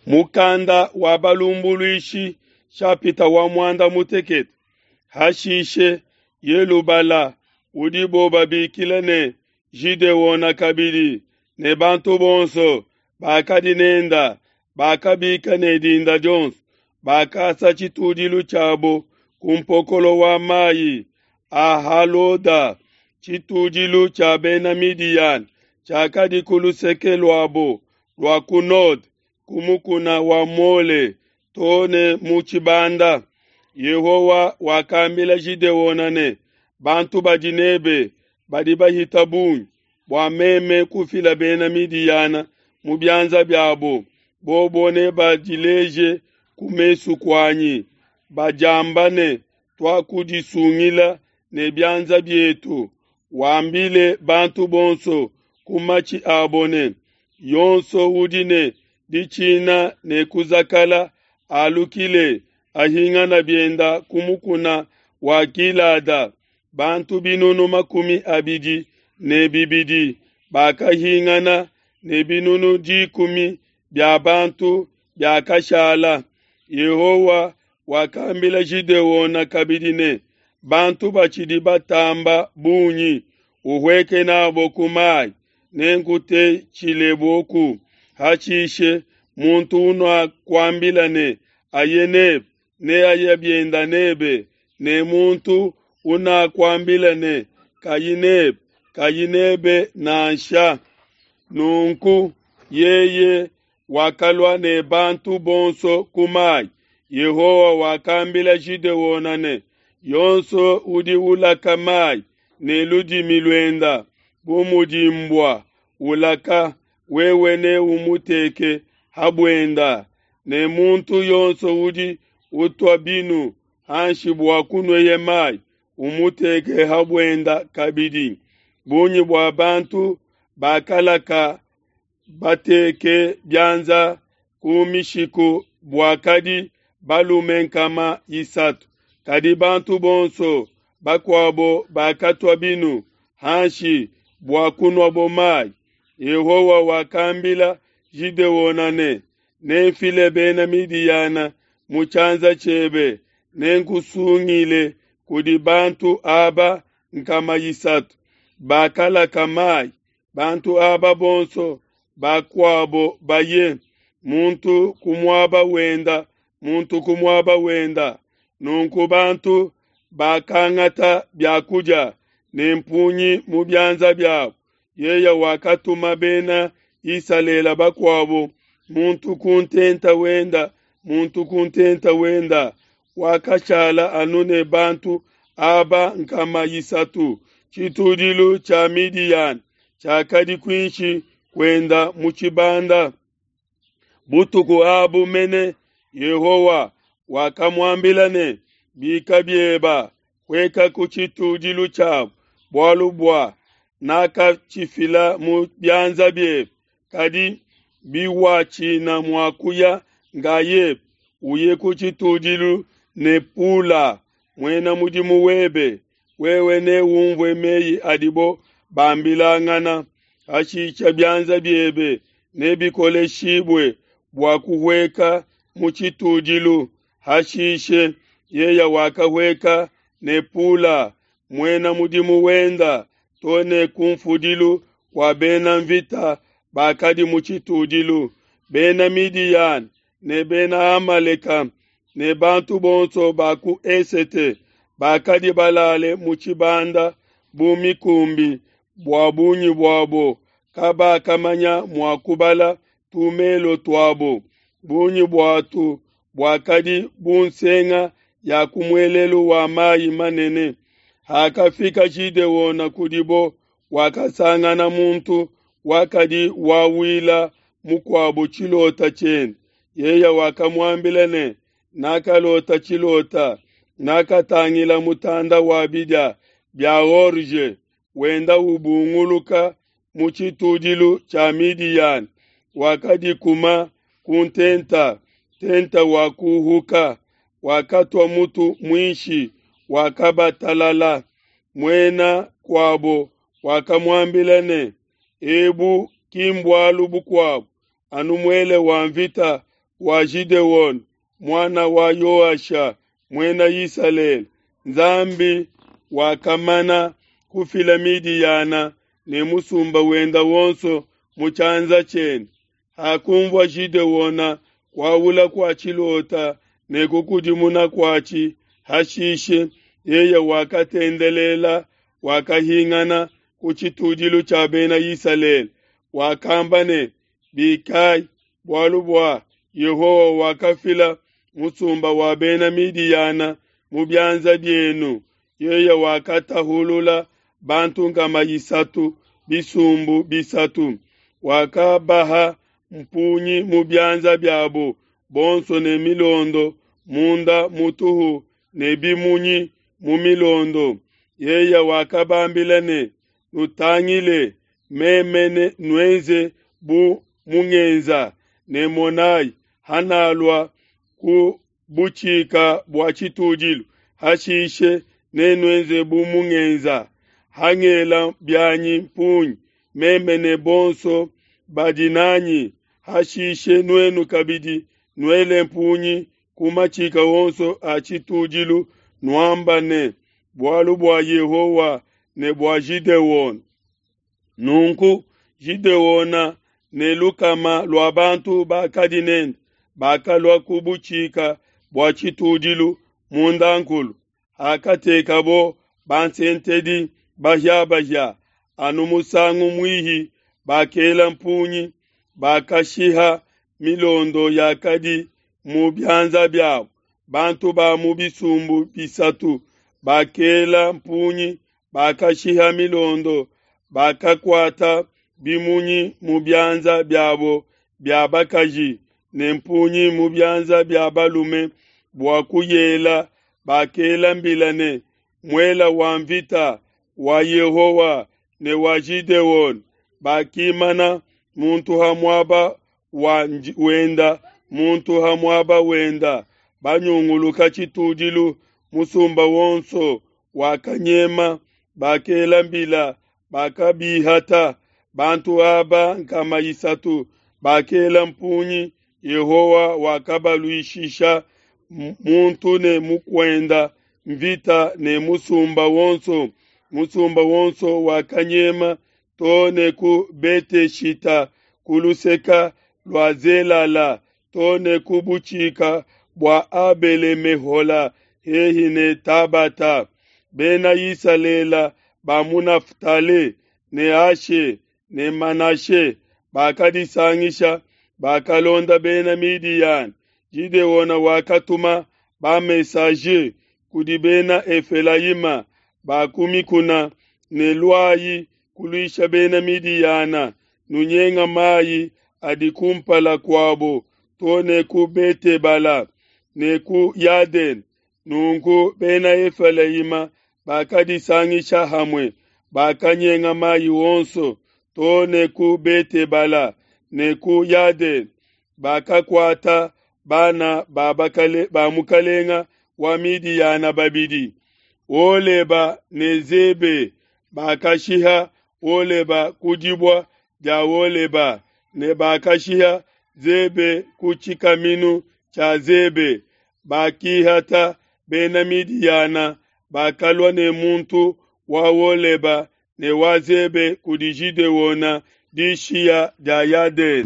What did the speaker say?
Mukanda wa Balumbuluishi shapita wa muanda mutekete. Hashishe Yelubala, udibo babikila ne Gideona kabidi, ne bantu bonso bakadi nenda bakabika ne dinda dionso, bakasa tshitudilu tshiabo ku mpokolo wa mai a Haloda, tshitudilu tshia Bena Midiyana tshiakadi ku luseke luabo lua ku node, ku mukuna wa Mole to ne mu tshibanda. Yehowa wakambila Gideona ne, Bantu badi nebe badi bahita bungi, bua meme kufila Bena Midiyana mu bianza biabo, bobo nebadileje ku mesu kuanyi, badiamba ne, Tuakudisungila ne bianza bietu. Wambile bantu bonso ku matshi abo ne, Yonso udi ne ditshina ne kuzakala alukile, ahingana bienda ku mukuna wa Gilada. Bantu 200,000 bakahingana ne 10,000 bia bantu biakashala. Yehowa wakambila Gideona kabidi ne, Bantu batshidi batamba bungi, uhueke nabo ku mai, nenkutetshileboku. Hashishe muntu unakuambila ne, Aye nebe, neaye bienda nebe, ne muntu unakuambila ne, Kayi nebe, kayi nebe nansha. Nunku yeye wakalua ne bantu bonso ku mai. Yehowa wakambila Gideona ne, Yonso udi ulaka mai ne ludimi luenda bu mudi mbua ulaka, wewe neumuteke ha buenda, ne muntu yonso udi utua binu hanshi bua kunueye mai, umuteke ha buenda kabidi. Bungi bua bantu bakalaka bateke bianza ku mishiku buakadi balume 300, kadi bantu bonso bakuabo bakatua binu hanshi bua kunuabo mai. Yehowa wakambila Gideona ne, Nenfile Bena Midiyana mu tshianza tshiebe, nenkusungile kudi bantu aba 300 bakalaka mai, bantu aba bonso bakuabo baye, muntu ku muaba wenda, muntu ku muaba wenda. Nunku bantu bakangata bia kudia ne mpungi mu bianza biabo. Yeye wakatuma Bena Isalele bakuabo, muntu ku ntenta wenda, muntu ku ntenta wenda. Wakashala anu ne bantu aba 300. Tshitudilu tshia Midiyana tshiakadi kuinshi kuenda mu tshibanda. Butuku abu mene Yehowa wakamuambila ne, Bika bieba, hueka ku tshitudilu tshiabo, bualu bua nakatshifila mu bianza biebe. Kadi biwatshina mua kuya ngayebe, uye ku tshitudilu ne Pula, muena mudimu webe, wewe neumvue meyi adibo bambilangana. Hashisha bianza biebe nebikoleshibue bua kuhueka mu tshitudilu. Hashishe yeye wakahueka ne Pula, muena mudimu wenda, to ne kunfudilu kua bena mvita bakadi mu tshitudilu, Bena Midiyana ne Bena Amaleka ne bantu bonso ba ku esete bakadi balale mu tshibanda bu mikumbi, bua bungi buabo kabakamanya mua kubala tumelo tuabo. Bungi buatu buakadi bu nsenga ya ku muelelu wa mai manene. Hakafika Gideona kudibo, wakasangana muntu wakadi wawila mukuabo tshilota tshiende. Yeye wakamuambila ne, Nakalota tshilota, nakatangila mutanda wa bidia bia orge wenda ubunguluka mu tshitudilu tshia Midiyana, wakadikuma ku ntenta, ntenta wakuhuka, wakatua mutu muinshi, wakabatalala. Muena kuabo wakamuambila ne, Ebu ki mbualu bukuabo, anu muele wa mvita wa Gideona, muana wa Yoasha, Muena Isalele, Nzambi wakamana kufila Midiyana ne musumba wenda wonso mu tshianza tshiende. Hakunvua Gideona kuaula kua tshilota ne kukudimuna kuatshi, hashishe yeye wakatendelela, wakahingana ku tshitudilu tshia Bena Isalele, wakamba ne, Bikai, bualu bua Yehowa wakafila musumba wa Bena Midiyana mu bianza bienu. Yeye wakatahulula bantu 300 bisumbu bisatu, wakabaha mpungi mu bianza biabo bonso ne milondo munda mutuhu ne bimunyi mu milondo. Yeye wakabambila ne, Nutangile, meme ne nuenze bu mungenza, ne monai, hanalua ku butshika bua tshitudilu, hashishe nenuenze bu mungenza. Hangela bianyi mpungi, meme ne bonso badi nanyi, hashishe nuenu kabidi nuele mpungi ku matshika onso a tshitudilu, nuamba ne, Bualu bua Yehowa ne bua Gideona. Nunku Gideona ne lukama lua bantu bakadi nende bakalua ku butshika bua tshitudilu mundankulu, hakatekabo bansentedi bahia-bahia anu musangu muihi, bakela mpungi, bakashiha milondo yakadi mu bianza biabo. Bantu ba mu bisumbu bisatu bakela mpungi, bakashiha milondo, bakakuata bimunyi mu bianza biabo bia bakaji ne mpungi mu bianza bia balume bua kuyela. Bakela mbila ne, Muela wa mvita wa Yehowa ne wa Gideona. Bakimana muntu ha muaba wenda, muntu ha muaba wenda, banyunguluka tshitudilu. Musumba wonso wakanyema, bakela mbila, bakabihata. Bantu aba 300 bakela mpungi, Yehowa wakabaluishisha muntu ne mukuenda mvita ne musumba wonso. Musumba wonso wakanyema to ne ku Bete-shita ku luseka lua Zelala, to ne ku butshika bua Abele-mehola hehi ne Tabata. Bena Isalele ba mu Naftali ne Ashe ne Manashe bakadisangisha, bakalonda Bena Midiyana. Gideona wakatuma ba-messager kudi Bena Efelayima ba ku mikuna ne, Luayi kuluisha Bena Midiyana, nunyenga mai adi kumpala kuabo to ne ku Bete-bala ne ku Yadene. Nunku Bena Efelayima bakadisangisha hamue, bakanyenga mai onso to ne ku Bete-bala ne ku Yadene. Bakakuata bana ba mukalenga wa Midiyana babidi, Oleba ne Zebe. Bakashiha Oleba ku dibua dia Oleba, ne bakashiha Zebe ku tshikaminu tshia Zebe. Bakihata Bena Midiyana, bakalua ne muntu wa Oleba ne wa Zebe kudi Gideona dishiya dia Yadene.